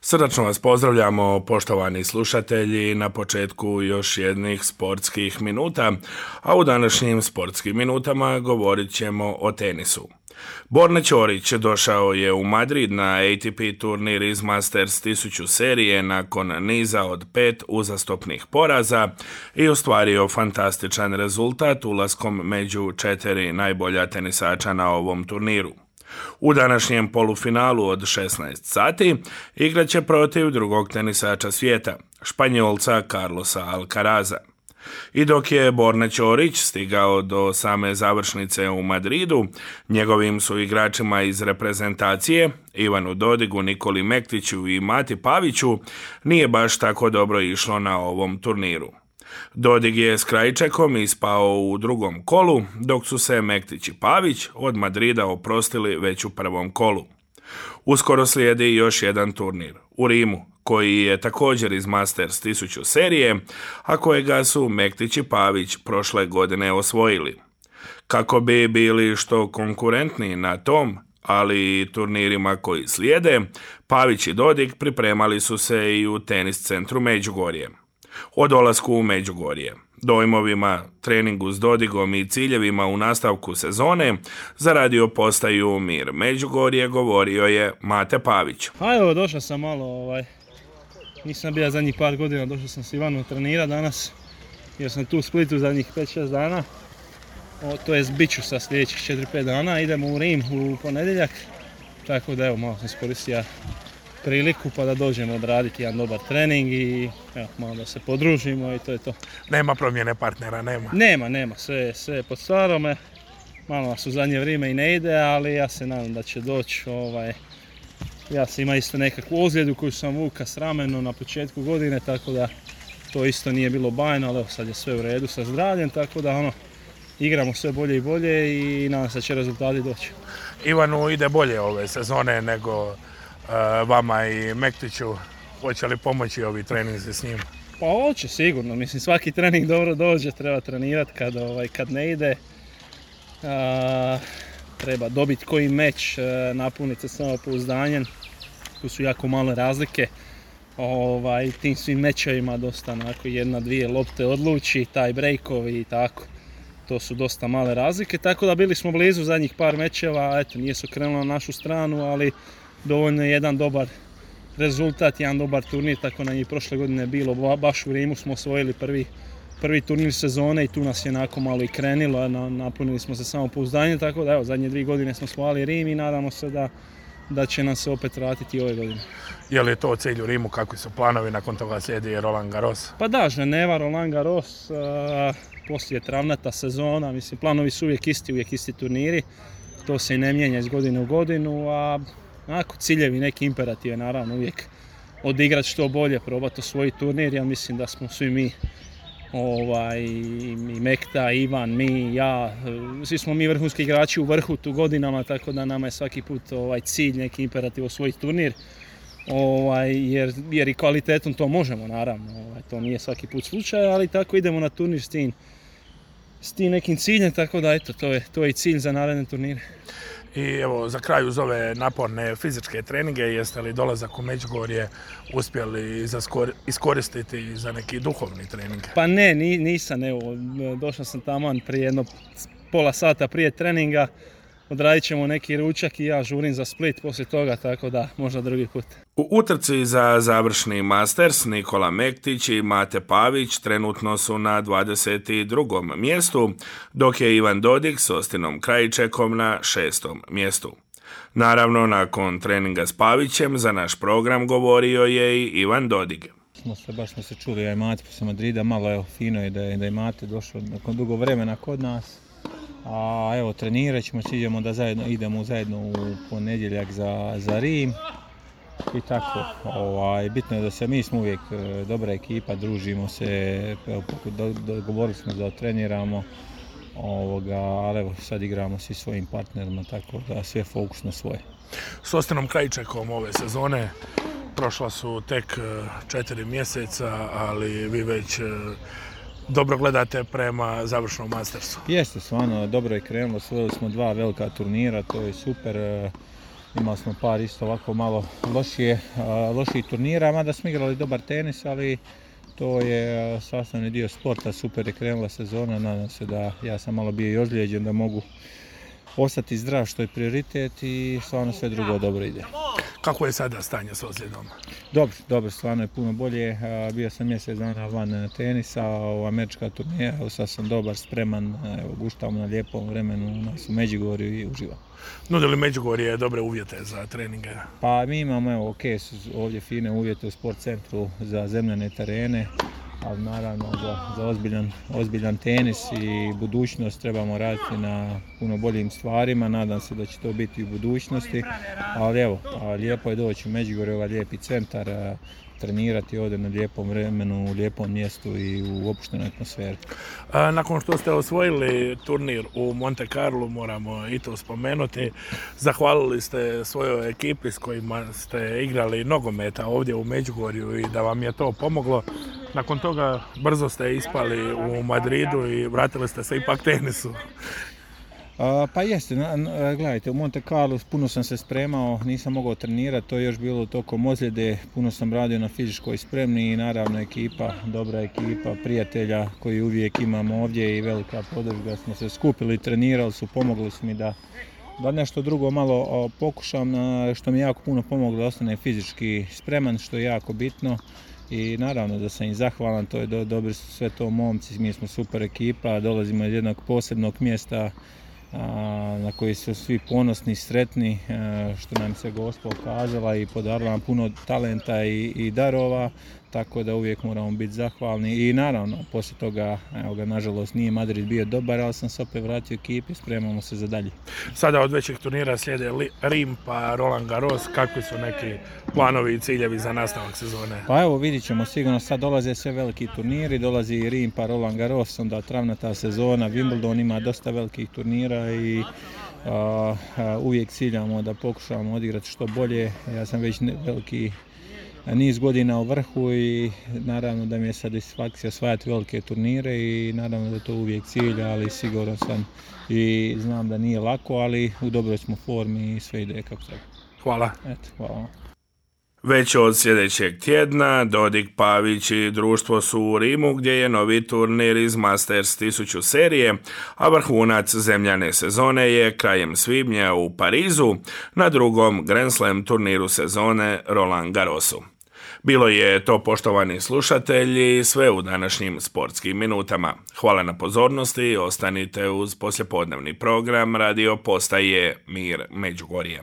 Srdačno vas pozdravljamo, poštovani slušatelji, na početku još jednih sportskih minuta, a u današnjim sportskim minutama govorit ćemo o tenisu. Borna Ćorić došao je u Madrid na ATP turnir iz Masters 1000 serije nakon niza od 5 uzastopnih poraza i ostvario fantastičan rezultat ulaskom među 4 najbolja tenisača na ovom turniru. U današnjem polufinalu od 16 sati igrat će protiv drugog tenisača svijeta, Španjolca Carlosa Alcaraza. I dok je Borna Ćorić stigao do same završnice u Madridu, njegovim su igračima iz reprezentacije, Ivanu Dodigu, Nikoli Mektiću i Mati Paviću, nije baš tako dobro išlo na ovom turniru. Dodig je s Krajčekom ispao u drugom kolu, dok su se Mektić i Pavić od Madrida oprostili već u prvom kolu. Uskoro slijedi još jedan turnir, u Rimu, koji je također iz Masters 1000 serije, a kojega su Mektić i Pavić prošle godine osvojili. Kako bi bili što konkurentniji na tom, ali i turnirima koji slijede, Pavić i Dodig pripremali su se i u tenis centru Međugorje. O dolasku u Međugorje, dojmovima, treningu s Dodigom i ciljevima u nastavku sezone za radio postaju Mir Međugorje govorio je Mate Pavić. A evo, došao sam malo, nisam bio zadnjih par godina, došao sam s Ivanom trenirati danas, jer sam tu u Splitu zadnjih 5-6 dana, to jest bit ću sa sljedećih 4-5 dana, idemo u Rim u ponedjeljak, tako da evo, malo sam iskoristio priliku pa da dođemo odraditi jedan dobar trening i evo, malo da se podružimo i to je to. Nema promjene partnera, nema? Nema, sve je pod starome, malo nas u zadnje vrijeme i ne ide, ali ja se nadam da će doći. Ja sam imao isto nekakvu ozljedu koju sam vuka s ramenom na početku godine, tako da to isto nije bilo bajno, ali evo, sad je sve u redu sa zdravljem, tako da igramo sve bolje i bolje i nadam se da će rezultati doći. Ivanu ide bolje ove sezone nego vama i Mektiću, hoće li pomoći ovi treninzi s njim? Pa hoće sigurno, mislim svaki trening dobro dođe, treba trenirati kad ne ide. Treba dobiti koji meč, napuniti se samopouzdanjem, tu su jako male razlike. Tim svim mečevima dosta onako 1-2 lopte odluči, taj breakovi i tako. To su dosta male razlike, tako da bili smo blizu zadnjih par mečeva, eto nije se krenulo na našu stranu, ali dovoljno je jedan dobar rezultat, jedan dobar turnir, tako nam je i prošle godine bilo, baš u Rimu smo osvojili prvi turnir sezone i tu nas je onako malo i krenilo, napunili smo se samopouzdanje, tako da evo, zadnje 2 godine smo osvojili Rim i nadamo se da će nam se opet vratiti ove godine. Je li to cilj u Rimu, kakvi su planovi, nakon toga slijedi Roland Garros? Pa da, Ženeva, Roland Garros, poslije travnata sezona, mislim planovi su uvijek isti turniri, to se i ne mijenja iz godine u godinu, a ciljevi, neki imperative, naravno uvijek odigrati što bolje, probati osvojiti turnir. Ja mislim da smo svi mi, i Mekta, Ivan, mi, ja, svi smo mi vrhunski igrači u vrhu tu godinama, tako da nama je svaki put cilj, neki imperativ osvojiti turnir, jer i kvalitetom to možemo, naravno, to nije svaki put slučaj, ali tako idemo na turnir s tim nekim ciljem, tako da eto, to je i cilj za naredne turnire. I evo, za kraj uz ove naporne fizičke treninge, jeste li dolazak u Međugorje uspjeli iskoristiti za neki duhovni trening? Pa ne, nisam, evo, došao sam taman prije jedno pola sata prije treninga, odradit ćemo neki ručak i ja žurim za Split poslije toga, tako da možda drugi put. U utrci za završni Masters Nikola Mektić i Mate Pavić trenutno su na 22. mjestu, dok je Ivan Dodig s Ostinom Krajčekom na 6. mjestu. Naravno, nakon treninga s Pavićem za naš program govorio je i Ivan Dodig. Baš smo se čuli, ja i Mate poslije Madrida, malo fino je da je Mate došao nakon dugo vremena kod nas. A evo, trenirat ćemo, idemo idemo zajedno u ponedjeljak za Rim i tako. Bitno je da mi smo uvijek dobra ekipa, družimo se, dogovorili smo da treniramo, ali evo, sad igramo svi svojim partnerima, tako da sve fokus na svoje. S Ostinom Krajčekom ove sezone prošla su tek 4 mjeseca, ali vi već dobro gledate prema završnom Mastersu. Jeste, stvarno, dobro je krenulo, osvojili smo 2 velika turnira, to je super. imali smo par isto ovako malo loših turnira, mada smo igrali dobar tenis, ali to je sastavni dio sporta, super je krenula sezona, nadam se da ja sam malo bio i ozlijeđen da mogu ostati zdrav što je prioritet i stvarno sve drugo dobro ide. Kako je sada stanje s ozljedom? Dobro, stvarno je puno bolje. Bio sam mjesec dana van tenisa, američka turnira, sad sam dobar, spreman, guštamo na lijepom vremenu u nas u Međugorju i uživam. Nudi li Međugorje dobre uvjete za treninge? Pa mi imamo ovdje fine uvjete u sport centru za zemljane terene, ali naravno za ozbiljan tenis i budućnost trebamo raditi na puno boljim stvarima, nadam se da će to biti u budućnosti, ali evo, lijepo je doći u Međugorje, ovaj lijepi centar, trenirati ovdje na lijepom vremenu, u lijepom mjestu i u opuštenoj atmosferi. Nakon što ste osvojili turnir u Monte Carlo, moramo i to spomenuti, zahvalili ste svojoj ekipi s kojima ste igrali nogometa ovdje u Međugorju i da vam je to pomoglo. Nakon toga brzo ste ispali u Madridu i vratili ste se ipak tenisu. Pa jeste, gledajte, u Monte Carlo puno sam se spremao, nisam mogao trenirati, to je još bilo tokom ozljede, puno sam radio na fizičkoj spremni i naravno ekipa, dobra ekipa, prijatelja koji uvijek imamo ovdje i velika podrška, smo se skupili, trenirali su, pomogli su mi da nešto drugo malo pokušam, što mi jako puno pomoglo da ostane fizički spreman, što je jako bitno. I naravno da sam im zahvalan, to je dobri su sve to momci, mi smo super ekipa, dolazimo iz jednog posebnog mjesta na koji su svi ponosni i sretni, što nam se Gospod ukazala i podarila nam puno talenta i darova, tako da uvijek moramo biti zahvalni i naravno poslije toga, evo ga, nažalost nije Madrid bio dobar, ali sam se opet vratio ekipi, spremamo se za dalje. Sada od većih turnira slijede Rim pa Roland Garros, kakvi su neki planovi i ciljevi za nastavak sezone? Pa evo, vidit ćemo, sigurno sad dolaze sve veliki turniri, dolazi i Rim pa Roland Garros, onda travnata sezona, Wimbledon ima dosta velikih turnira i uvijek ciljamo da pokušamo odigrati što bolje. Ja sam već veliki niz godina u vrhu i naravno da mi je satisfakcija osvajati velike turnire i naravno da to uvijek cilj, ali siguran sam i znam da nije lako, ali u dobroj smo formi i sve ide kako treba. Hvala. Eto, hvala. Već od sljedećeg tjedna Dodik, Pavić i društvo su u Rimu gdje je novi turnir iz Masters 1000 serije, a vrhunac zemljane sezone je krajem svibnja u Parizu na drugom Grand Slam turniru sezone Roland Garrosu. Bilo je to, poštovani slušatelji, sve u današnjim sportskim minutama. Hvala na pozornosti, ostanite uz poslijepodnevni program radio postaje Mir Međugorje.